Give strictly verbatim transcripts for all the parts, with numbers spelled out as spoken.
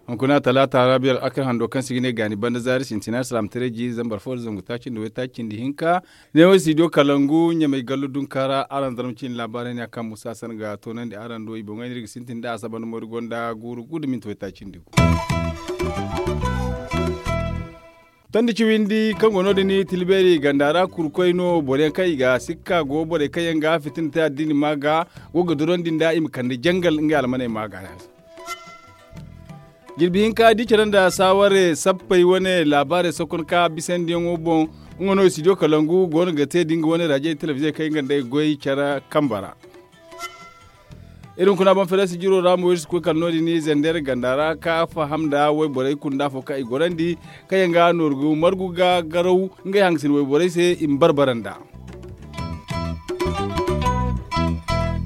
Hunkuna talaata raabiyar akar hando kaŋ se i ga ne gaani banda zaari sintina salaamataray jiiri zambar fo da zangu taaci nda waytaaci nda hinka. Ne wo studio kalangu ɲamay gallu dunka ra araŋ zarma ciine laabaarey ne a kaŋ musa san ga toonandi araŋ do i boŋey no iri ga sintin da asaba nda moyri gonda guuru guuru minti waytaaci nda gu. Tondi ciwindi kaŋ go no- din tilbeeri ganda ra kurkoy no boro yaŋ kaŋ i ga sikka go borey kaŋ yaŋ ga fitina te addiini ma ga go ga durandi nda i ma kande jangal ngey almaney ma ga. Jirbi hinka di care nda saaware sappey wane laabaarey sokon ka bisandiyaŋo boŋ. Nga no studio kalangu go no ga te da nga wane raajey telebiziyo kaŋ i ga nda ay goy care kambe ra. Iri hunkuna boŋ fereesi jiro ra mo iri si koy kala no- din zandeer ganda ra ka faham nda wayborey kunda afo kaŋ i gorandi kaŋ yaŋ ga nooru ga margu ga garaw ngey hangasin wayborey se i ma barbara nda.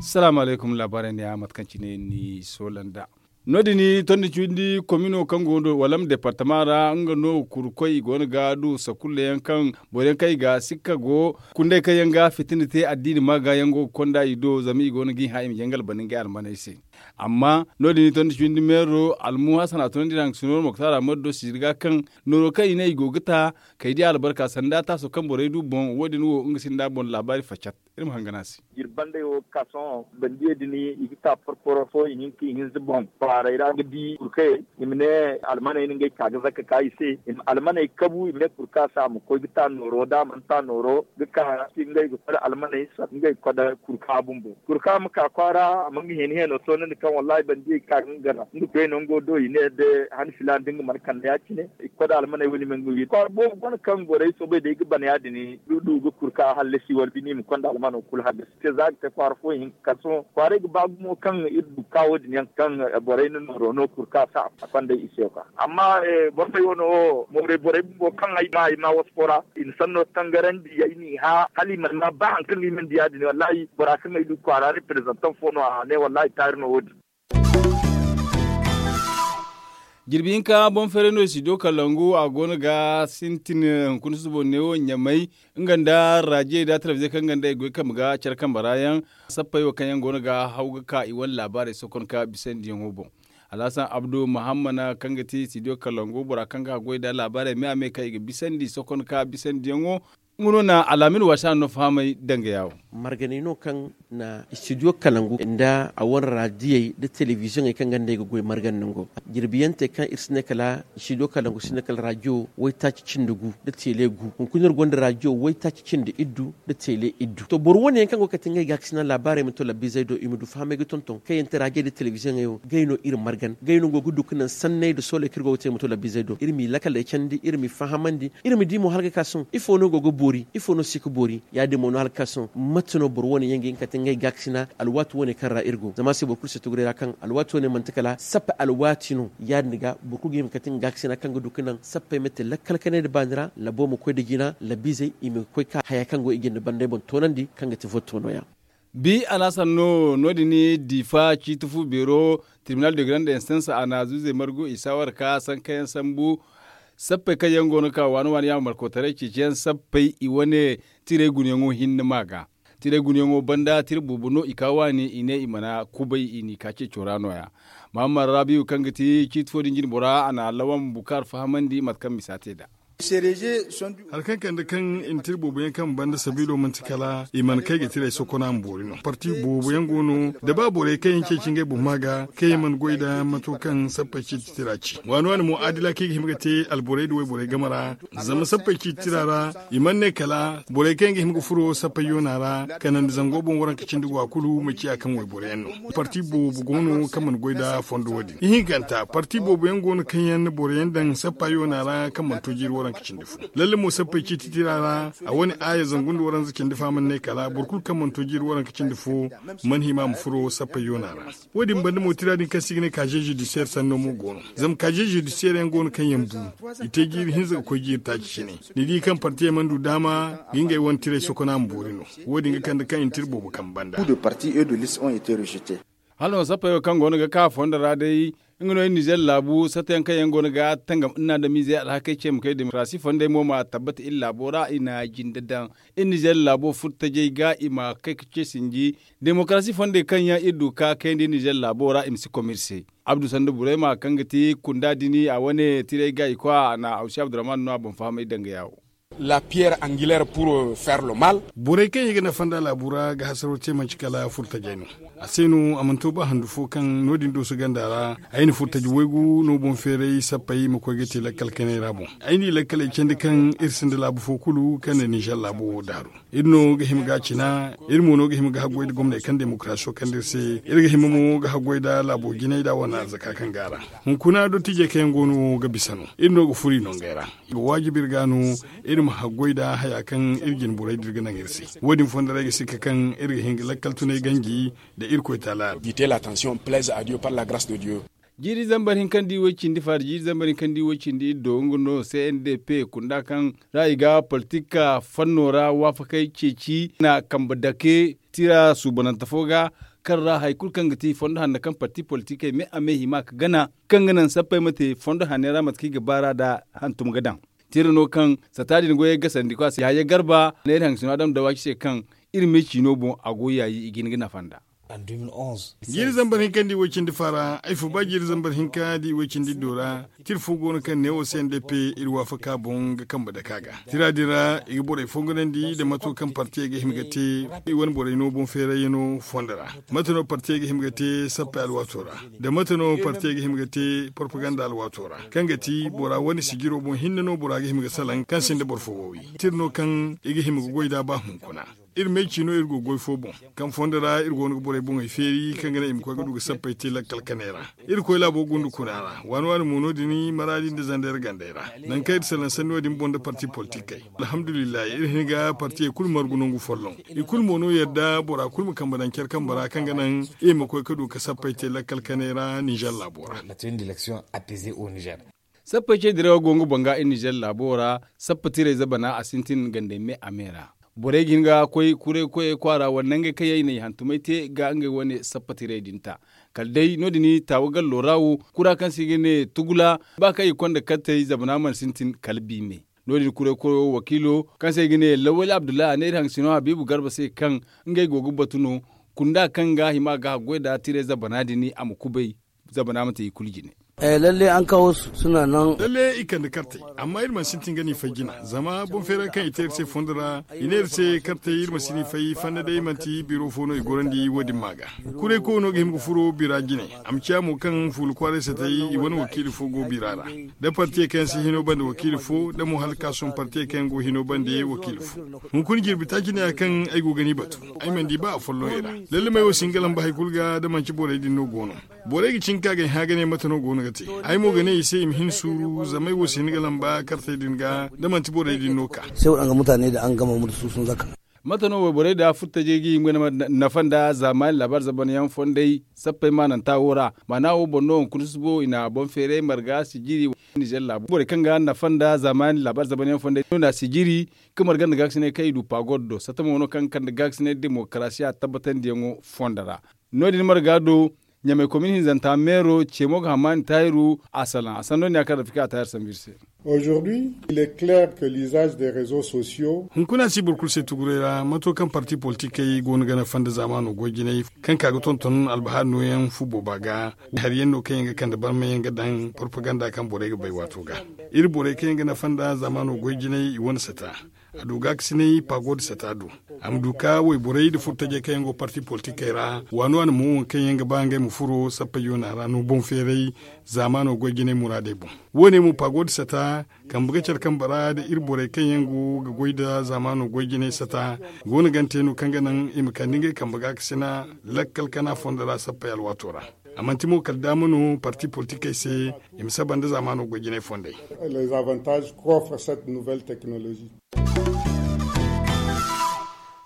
Salaamu alaykum laabaarey ne ya mate kaŋ cine ni soola nda. No- din tondi cindi komino kaŋ go no walam departama ra nga no kurkoy i go no ga du sakulla yaŋ kaŋ boro yaŋ kaŋ i ga sikka go kunday kaŋ yaŋ ga fitina te addiini ma ga yaŋ go ga konda i do zama i go no ga i hã i ma jangal bana ngey almaney se. Amma no- din tondi cindi meero almu hasan a tunandi ra nga si nooro moktar a ma do sijir ga kaŋ nooro kaŋ i ne i go ga ta kay di albarka sanda taaso kaŋ borey du boŋ wo- din wo nga sinda boŋ laabaari facat. Iri ma hangan a se. Jirbandey wo ga ka sohõ bandiyey din i ga ka porporo fo i hinka i hinza boŋ kwaaray ra ga di kurkayey i ma ne almaney no ngey ka ga zakka ka i se i ma almaney kabu i ma ne kurka se a ma koy ga ta nooro da a mana ta nooro ga ka ngey ga kode almaney sara ngey ga kode kurka bumbo kurka ma ka kwaara a ma nga hene heno toonandi kaŋ wallahi bandiyey ga ka ga nga gana nga koy no nga do i ne da han filaana da nga mana kande ya- cine i ga kode almaney wane i ma nga wi kwaara boobo gona kaŋ borey soobay day ga bana ya- din du ga kurka hallasi wala bine i ma konda almano kulu hallasi te za ga te kwaara fo hinka kala sohõ kwaaray ga ba gumo kaŋ iri du ka wo- din yaŋ kaŋ borey na nooro no kurka sa a konda i se yo ka amma borey wano wo mooray borey bumbo kaŋ ay ma ay ma wasu fo ra i na sanno tangarandi ay n'i hã hala i mana ma ba hari kaŋ i mana di ya- din wallahi bora kaŋ ay du kwaara reprezantan fo no a ne wallahi taari no wo- din. Jirbi hinka boŋ feeray no studio kalangu a go no ga sintin hunkuna susubo neewo ɲamay nga nda raajiyey nda talabijey kaŋ nga nda i goy kambe ga care kambe ra yaŋ sappey wo kaŋ yaŋ go no ga haw ga ka i wane laabaarey sokon ka bisandiyaŋo boŋ. Alhasan abdu mahammana kaŋ ga ti studio kalangu bora kaŋ ga goy nda laabaarey me a me kaŋ i ga bisandi sokon ka bisandiyaŋo. Nga no na alaamin waasa no fahamay danga yaawo. Marganey no kaŋ na studio kalangu nda a wane raadiyey nda telebiziyoŋey kaŋ ga nd'ey ga goy margan nango. Jirbiyaŋ te kaŋ iri si ne kala studio kalangu si ne kala raadiyo waytaaci cindi gu nda teele gu hunkuna iri gonda raadiyo waytaaci cindi iddu nda teele iddu to boro wane yaŋ kaŋ go ga kate ngey gaakasina laabaarey ma to labbiizey do i ma du fahamay ga tonton kaŋ yaŋ te raadiyo nda telebiziyoŋey wo ngey no iri margan ngey no go ga du ga naŋ sanney nda sooley kaŋ iri go ga te ma to labbiizey do iri m'i lakaley candi iri m'i fahamandi iri ma di mo hala ga ka sohõ ifo no go ga boori ifo no si ga boori ya- din mo no hala ga ka sohõ mate no boro wane yaŋ ga hin ga kate ngey gaakasina alwaati wane kaŋ ra iri go zama a se boro kulu si tuguray ra kaŋ alwaati wane manti kala sappe alwaati no ya- din ga boro kulu ga hin ga kate nga gaakasina kaŋ ga du ga naŋ sappey ma te lakkal kanay nda baani ra labo ma koy nda jina labiizey i ma koy ka haya kaŋ go i jinde banday boŋ toonandi kaŋ ga ti votto nooya. Bi alhasan no no- din diifa ciiti fu beero tribunal de grande instance a na zuuzey margu i saawara ka sankayaŋ sambu sappey kaŋ yaŋ go no ka waani waani yaŋ markotaray ceeciyaŋ sappey i wane tiray gunayaŋo hinne ma ga tiray gunayaŋo banda tira boobo no i ka waani i ne i mana kubay i n'i ka ceeco ra nooya. Mahammad rabiyu kaŋ ga ti ciiti fo din jine bora a na lawan bukaar fahamandi mate kaŋ misa te nd'a. Hari kaŋ kande kaŋ i na tira boobo yaŋ kaŋ banda sabiilo manti kala i mana kay ga tiray sokona ma boori no parti boobo yaŋ go no da ba borey kaŋ yaŋ ceeci ngey boŋ ma ga kaŋ yaŋ mana goy nda mato kaŋ sappey ciiti tira ci waani waani mo adila kaŋ i ga hima ga te alborey nda wayborey game ra. Zama sappey ciiti tira ra i mana ne kala borey kaŋ yaŋ ga hima ga furo sappey yoona ra kanandi zango boŋ waranka cindi go a kulu ma ciya kaŋ wayboro yaŋ no. Parti boobo go no kaŋ mana goy nda fondo wo- din ihinkanta parti boobo yaŋ go no kaŋ yaŋ na boro yaŋ daŋ sappa yoona ra kaŋ mana to jiiri waranka cindi fo. Lalle mo sappey ciiti tira ra a wane aaya zangu nda waranza cindi fo a mana ne kala boro kulu kaŋ mana to jiiri waranka cindi fo mana hima ma furo sappey yoona ra. Wo- din banda mo tira din kaŋ se i ga ne kaze judisiyer sanno mo go no. Zama kaze judisiyer yaŋ go no kaŋ yaŋ bu i te jiiri hinza ga koy jiiri taaci cine. Ni di kaŋ partiyey mana du daama ga ngey wane tiray sokona ma boori no. Wo- din ga kande kaŋ i na tira boobo kambe banda. Parti e de liste ont été rejetés. Hala no sappey wo kaŋ go no ga ka fondo ra day, nga no iri nizer laabu satta yaŋ kaŋ yaŋ go no ga tangam iri na adamiizey alhakey ce ma kay demokarasi fondey mo ma tabbata iri laabo ra i na jinde daŋ. Iri nizer laabo furtajey ga i ma kay ga ce sinji demokarasi fondey kaŋ yaŋ iri du ka kayandi iri nizer laabo ra i ma si kom iri se. Abdu sanda burayma kaŋ ga ti kunda dini a wane tirey ga i koy a na awsi abdurrahman no a boŋ fahamay danga yaawo. La pierre angulaire pour faire le mal. Borey kaŋ i ga nafa nda laabu ra ga hasaro te manci kala furtajey no. A se no a mana to ba handu fo kaŋ no- din dooso ganda ra ay na furtaji waygu no boŋ feeray sappey ma koy ga te lakkal kanay ra boŋ. Ay n'i lakkaley candi kaŋ iri sinda laabu fo kulu kaŋ na nizer laabo wo daaru. Iri no ga hima ga a cina. Iri mo no ga hima ga haggoy nda gomney kaŋ demokarasiyo kande iri se. Iri ga hima mo ga haggoy nda laabo jinay nda a wane arzaka kaŋ go a ra. Hunkuna dottijey kaŋ yaŋ go no wo ga bisa no iri no ga furo i nongey ra. Ga waajibi iri ga no iri ma haggoy nda haya kaŋ iri jine borey din ga naŋ iri se. Wo- din fondo ra ay ga sikka kaŋ iri ga hin ga lakkal tunay ganji nda irkoy taala. Jiite la tension plaise à dieu par la grace de dieu. Jiiri zambar hinka nda i way cindi faara jiiri zambar hinka nda i way cindi iddo nga no c n d p kunda kaŋ ra i ga politik fanno ra waafakey ceeci na kambe dake tira suubanante fo ga kaŋ ra hari kulu kaŋ ga ti fondo hanno kaŋ parti politikey me a me hima ga gana kaŋ ga naŋ sappey ma te fondo hanney ra mate kaŋ i ga baar'a nda hantum ga daŋ. Tira no kaŋ sata din goyey gasandi ko a se yaaye garba neera haŋ sino adam dawaci se kaŋ iri me ciino boŋ a go yaayi i ga hin ga nafa nda. Jiiri zambar hinka nda i way cindi faara ay fo ba jiiri zambar hinka nda i way cindi iddo ra. Tira fo go no kaŋ neewo se nda pe iri waafaka boŋ ga kambe dake a ga tira din ra i ga borey fongonandi nda mato kaŋ partiyey ga hima ga te i wane borey no boŋ feerayyaŋo fondo ra. Mate no partiyey ga hima ga te sappey alwaato ra? Nda mate no partiyey ga hima ga te porpaganda alwaato ra kaŋ ga ti bora wane sijiro boŋ hinne no bora ga hima ga salaŋ kaŋ sinda boro fo go wi? Tira no kaŋ i ga hima ga goy nd'a ba hunkuna. Iri may ciino iri go goy fo boŋ kaŋ fondo ra iri go no ga borey boŋey feeri kaŋ ga naŋ i ma koy ga du ga sappey te lakkal kanay ra. Iri koy laabo gundu kuna ra waani waani mo no- din maraadi nda zandar gandey ra. Nangu kaŋ iri salaŋ sanni wo- din boŋ nda parti politikey. Alhamdulillahi iri hin ga partiyey kulu margu nangu folloŋ. I kulu mo no yadda bora kulu ma kambe daŋ care kambe ra kaŋ ga naŋ i ma koy ga du ga sappey te lakkal kanay ra ninzer laabo ra. Sappey ce dirawo go nga boŋ ga iri ninzer laabo ra. Sappa tirey zabana a sintin gandey me a me ra. Borey ga hin ga koy kuray koyey kwaara wala nangey kaŋ yaŋ i na i hantumay te ga ngey wane sappa tirey din ta. Kala day no- din taawa gallo ra wo kura kaŋ se i ga ne tugula ba kaŋ i konda kartey zabana mana sintin kala biime. No- din kuray koyo wakiilo kaŋ se i ga ne lawali abdullahi a ne iri haŋ sino habiibu garba se kaŋ ngey go ga batu no. Kunda kaŋ ga hima ga haggoy nda tirey zabana din a ma kubay. Zabana ma te i kulu jine. Lalle an kawo suna nan lalle i kande kartey. Amma iri mana sintin ga ni fay jina zama boŋ feera kaŋ i te iri se fondo ra i ne iri se kartey iri ma si ni fay fanda day manti biro fo no i gorandi wo- din ma ga. Kuray koyo no ga hima ga furo bira jine. A ma ciya mo kaŋ fuula kwaaray satay i wane wakiili fo go bira ra. Da partiyey kaŋ yaŋ si hino bande wakiili fo da mo hala ka sohõ partiyey kaŋ yaŋ go hino bande wakiili fo. Hunkuna jirbi taaci neeya kaŋ ay go ga ni batu. Ay mana di ba afolloŋ i ra. Lalle may wo si hin ga lamba hari kulu ga da manti borey din no go no. Borey ga cin ka ga ay hã ga ne mate no go no ga te. Ay mo ga ne i se i ma hin suuru zama ay wo si hin ga lamba kartey din ga da manti borey din no ka. Sai waɗanga mutane da an gama mu da su sun zaka. Mate no wayborey da furtajey ga hima ga nafa nda zaamaani laabaari zabanyaŋ fondey sappey maananta wo ra. Maana wo boŋ no hunkuna susubo i na boŋ feeray marga sijiri ninzer laabo borey kaŋ ga nafa nda zaamaani laabaari zabanyaŋ fondey no na sijiri. Ga marga nda gaakasinay kaŋ i du pagod do satta mo no kaŋ ga kande gaakasinay demokarasiya tabbatandiyaŋo fondo ra. No- din marga do ɲamay komin hinzanta meero ceemo ga hammaani taahiru a salaŋ a sanno ne a kaŋ rafika a taahir sambu iri se. Aujourd'hui il est clair que l'usage des réseaux sociaux. Hunkuna si boro kulu se tuguray ra mato kaŋ parti politikey go no ga nafa nda zaamaano goy jinay kaŋ ka ga tonton albahaari nooyaŋ fu booba ga. Hari yaŋ no kaŋ yaŋ ga kande barmayaŋ ga daŋ porpaganda kaŋ borey ga bay waato ga. Iri borey kaŋ yaŋ ga nafa nda zaamaano goy jinay i wane sata. A du gaakasinay pagod sata do. A ma du ka wayborey nda furtajey kaŋ yaŋ go parti politikey ra waano a na mo waŋ kaŋ yaŋ ga ba ngey ma furo sappey yoona ra no boŋ feeray. Zaamaano goy jinay muraadey boŋ. Wo- ne mo pagod sata kambe ga care kambe ra nda iri borey kaŋ yaŋ go ga goy nda zaamaano goy jinay sata go no gante no kaŋ ga naŋ i ma kande ngey kambe gaakasina lakkal kana fondo ra sappey alwaato ra. A manti mo kala daama no parti politikey se i ma saba nda zaamaano goy jinay fondey. Les avantages qu'offre cette nouvelle technologie.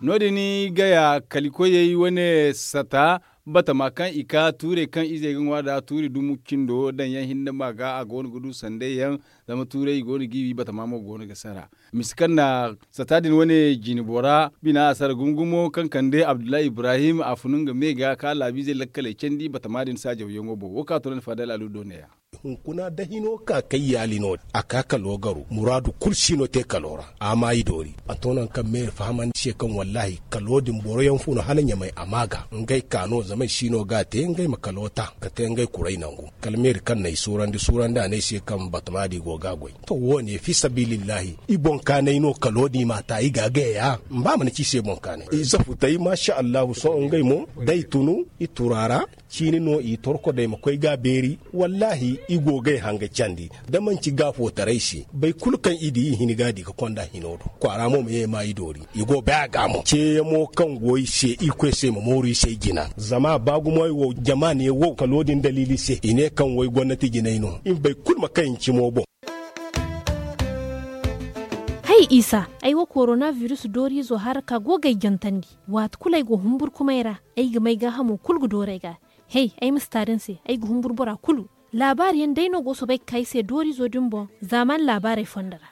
No- din gaya kalikoyey wane sata. Batama kaŋ i ka tuurey kaŋ izey ga ŋwa nd'a tuuri dumu cindo daŋ yaŋ hinne ma ga a go no ga du sanday yaŋ. Zama tuurey i go no g'i wi batama mo go no ga sara. Misi kaŋ na sata din wane jine bora bina a sara gumo gumo kaŋ kande abdullahi ibrahim a funu nga me ga ka laabiizey lakkaley candi batama din saajaw yaŋo boŋ wo kaŋ a to no ni faadal alu do ne- ya. Hunkuna da hino ka kay yaali no a ka kalo garu muraadu kulu si no te kalo ra. A ma i doori a to nangu kaŋ me fahamandi se kaŋ wallahi kalo din boro yaŋ fo no hala ɲamay a ma ga ngey ka no zama i si no ga a te ngey ma kalo ta ka te ngey kuray nangu. Kala meeri kaŋ na i suurandi suurandi a ne ay se kaŋ batama di go ga a goy. To wo- ne fi sabilillahi i boŋ kaanay no kalo din i ma a ta i ga a gay a ya. Ba mana ci i se boŋ kaanay i zafutay maasa allahu sohõ ngey mo da i tunu i turu a ra. Ciini no i torko da i ma koy ga a beeri. Wallahi i go ga ay hanga candi da manci gaafootaray se boro kulu kaŋ i di i hini ga a di ga konda hino do kwaara mo ma ye ma i doori. I go bay a ga mo ceeyamo kaŋ go i se irkoy se ma mooru i se jina zama ba gumo ay wo jama ne wo kalo din daliili se i ne kaŋ wo ay gomnati jinay no i ma boro kulu ma kay i cimo boŋ. Hay isa, ay wo korona virus dooriizo haraka go ga ay jantandi. Waati kulu ay go humburkumay ra ay ga may gaahamo kulu ga dooru ay ga. Hay, ay ma si taari ni se ay ga humburu bora kulu. Laabaari yaŋ day no go soobay ga ka ay se dooriizo din boŋ. Zaamaani laabaarey fondo ra.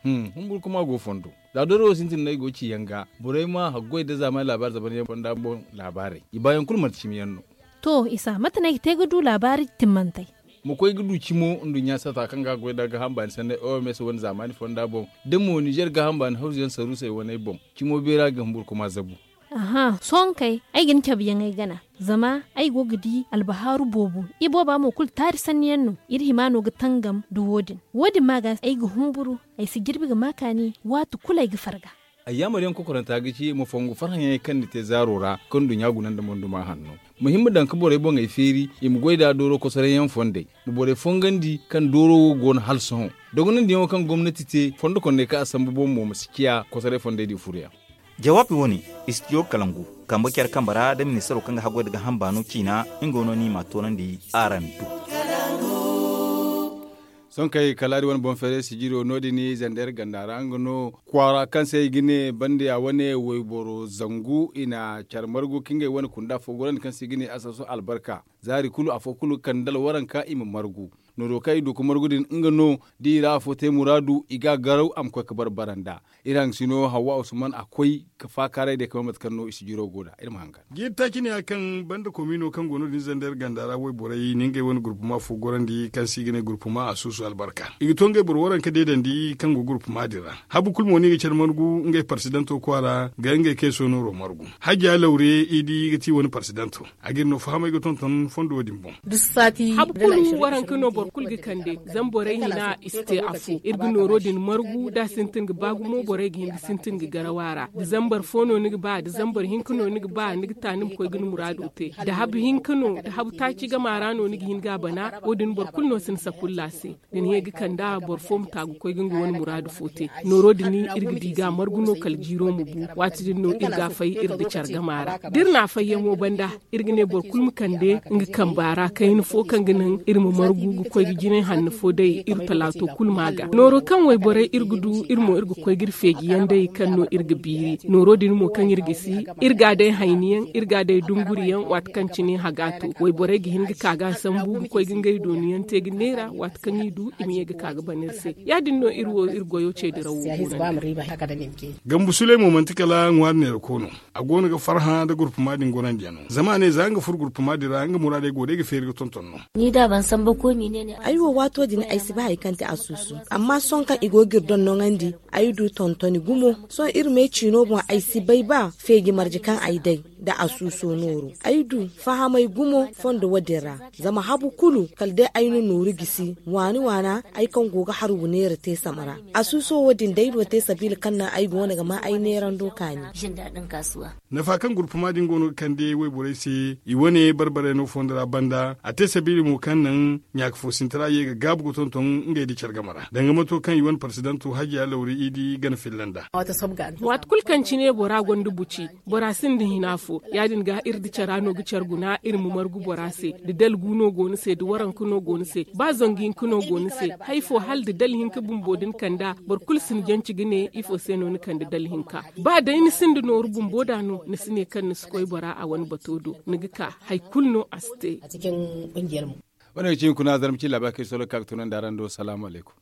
Humburu kuma go fondo. Za dooro wo sintin no ay go ga ci yaŋ ga borey ma haggoy nda zaamaani laabaari zaban yaŋ fonda boŋ. Laabaarey i baayaŋ kulu manti cimi yaŋ no. To isa mate no ay ga te ga du laabaari timmantey? Ma koy ga du cimo nduɲɲa sata kaŋ ga a goy nda gaaham baani sanney oms wane zaamaani fonda boŋ. Da mo nizer gaaham baani hawzu yaŋ saruusey waney boŋ cimo beera ga humburu kuma zabu. Aha sohõ kay ay ga ni cabe yaŋ ay gana. Zama ay go ga di albahaaru boobo. Ibooba mo kulu taari sanni yaŋ no. Iri hima no ga tangam nda wo- din. Wo- din ma ga ay ga humburu. Ay si jirbi ga ma kaani waati kulu ay ga farga. Ayyaamar yaŋ kokoranta ga ci ma fongu farhã yaŋey kaŋ ni te zaaro ra kaŋ nduɲɲa guna nda monduma hanno. Ma hin ma daŋ ga borey boŋey feeri i ma goy nd'a dooro kosoray yaŋ fondey. Ma borey fongandi kaŋ dooro wo go no hala sohõ. Dogonandi yaŋo kaŋ gomnati te fondo konney kaŋ a sambu boŋ mo ma si ciya kosoray fondey din furo yaŋ. Jawaabi wo- ne, istidiyo kalangu, kambe care kambe ra nda ministaro kaŋ ga haggoy nda gaaham baano ciina. Nga no no i m'a toonandi araŋ do. Sohõ kay kalaari wane boŋ feeray sijiro no- din zander ganda ra nga no kwaara kaŋ se i ga ne bandiya wane wayboro zangu i na care margu ka ngey wane kunda fo gorandi kaŋ se i ga ne asaso albarka. Zaari kulu afo kulu ga kande dala waranka i ma margu. Nooro kaŋ i du ga margu din nga no da i ra afo te muraadu i ga a garaw a ma koy ga bare bare nd'a. Iri hangasino hawwa usman a koy ga faakaaray day ga bay mate kaŋ no i si jiro go nd'a iri ma hangan. Jiiri taaci ne ya kaŋ banda komiino kaŋ go no- din zander ganda ra wayborey na ngey wane gurpuma fo gorandi kaŋ se i ga ne gurpuma a suusu albarka i ga to ngey boro waranka deedandi kaŋ go gurpuma din ra. Habu kulu mo no i ga care margu ngey parsidanto kwaara ga ngey kay soonoro margu. Hajja lawre i di ga ti wani parsidanto. A ga iri no fahamay ga tonton fondo din boŋ. Habu kulu waranka no boro kulu ga kande. Zama borey hina i si te afo iri ga nooro din margu da a sintin ga ba gumo borey ga hin ga sintin ga garaw a ra da zambar fo no ni ga ba da zambar hinka no ni ga ba ni ga ta ni ma koy ga ni muraado te. Da habu hinka no da habu taaci gama ra no ni ga hin ga a bana. Wo- din boro kulu no si ni sakulla se. Da ni ye ga kand'a boro fo ma taagu koy ga nga wane muraadu fo te. Nooro din iri ga di ga a margu no kala jiiro ma bu. Waati din no iri ga a fay iri nda care gama ra da iri na a fayyaŋo banda. Iri ga ne boro kulu ma kande nga kamba ra kayna fo kaŋ ga naŋ iri ma margu ga koy ga jinay hanno fo day iri talaato kulu ma ga nooro kaŋ wayborey iri ga du iri mo iri ga koy ga iri feejiyaŋ day kaŋ no iri ga biiri. Nooro din mo kaŋ iri ga si iri ga a day hayniyaŋ iri ga a day dunguriyaŋ waati kaŋ cine haga to wayborey ga hin ga ka ga a sambu ga koy ga ngey dooniyaŋ te ga neera waati kaŋ i du i ma ye ga ka ga ban iri se. Ya- din no iri wo iri goyo ce dirawo go no. Gambu suley mo manti kala ŋwaari neerako no. A go no ga farhã nda gurpuma din gonandiyaŋo zama a ne za nga furo gurpuma din ra nga muraadey go day ga feeri ga tonton no. Ay wo waato din ay si ba hari kaŋ te a suusu. Amma sohõ kaŋ i go ga iri dondoŋandi ay du tontoni gumo. Sohõ iri me ciino boŋ ay si bay ba feeji marje kaŋ ay day nda a suuso nooru ay du fahamay gumo fondo wo- din ra. Zama habu kulu kala day ay na nooru gisi waani waana ay kaŋ go ga hargu neera te sama ra. A suuso wo- din day no te sabiila kaŋ naŋ ay go no ga ma ay neerando kaani. Nafa kaŋ gurpuma din go no ga kande wayborey se i wane barbarey no fondo ra banda a te sabiila mo kaŋ naŋ ɲaaka fo sinti ra ye ga gaabu ga tonton ngey nda care game ra danga mato kaŋ i wane parsidanto hajiya lawri i di gana filla nd'a. Waati kulu kaŋ cine bora gonda buci bora sinda hina. Fo ya- din ga iri da cara no ga care guna iri ma margu bora se. Da dalgu no go ni se da waranka no go ni se ba zangu hinka no go ni se, hari fo hala da dala hinka bumbo da ni kand'a, boro kulu si ni janci ga ne ifo se no ni kande dala hinka? Ba day ni sinda nooru bumbo da no ni si ne kaŋ ni si koy bora a wane bato do, ni ga ka hari kulu no a si te. Wane ga ci hunkuna zarma ci laabari kaŋ ay solo ga ka ga tunandi araŋ do salaamu alaykum.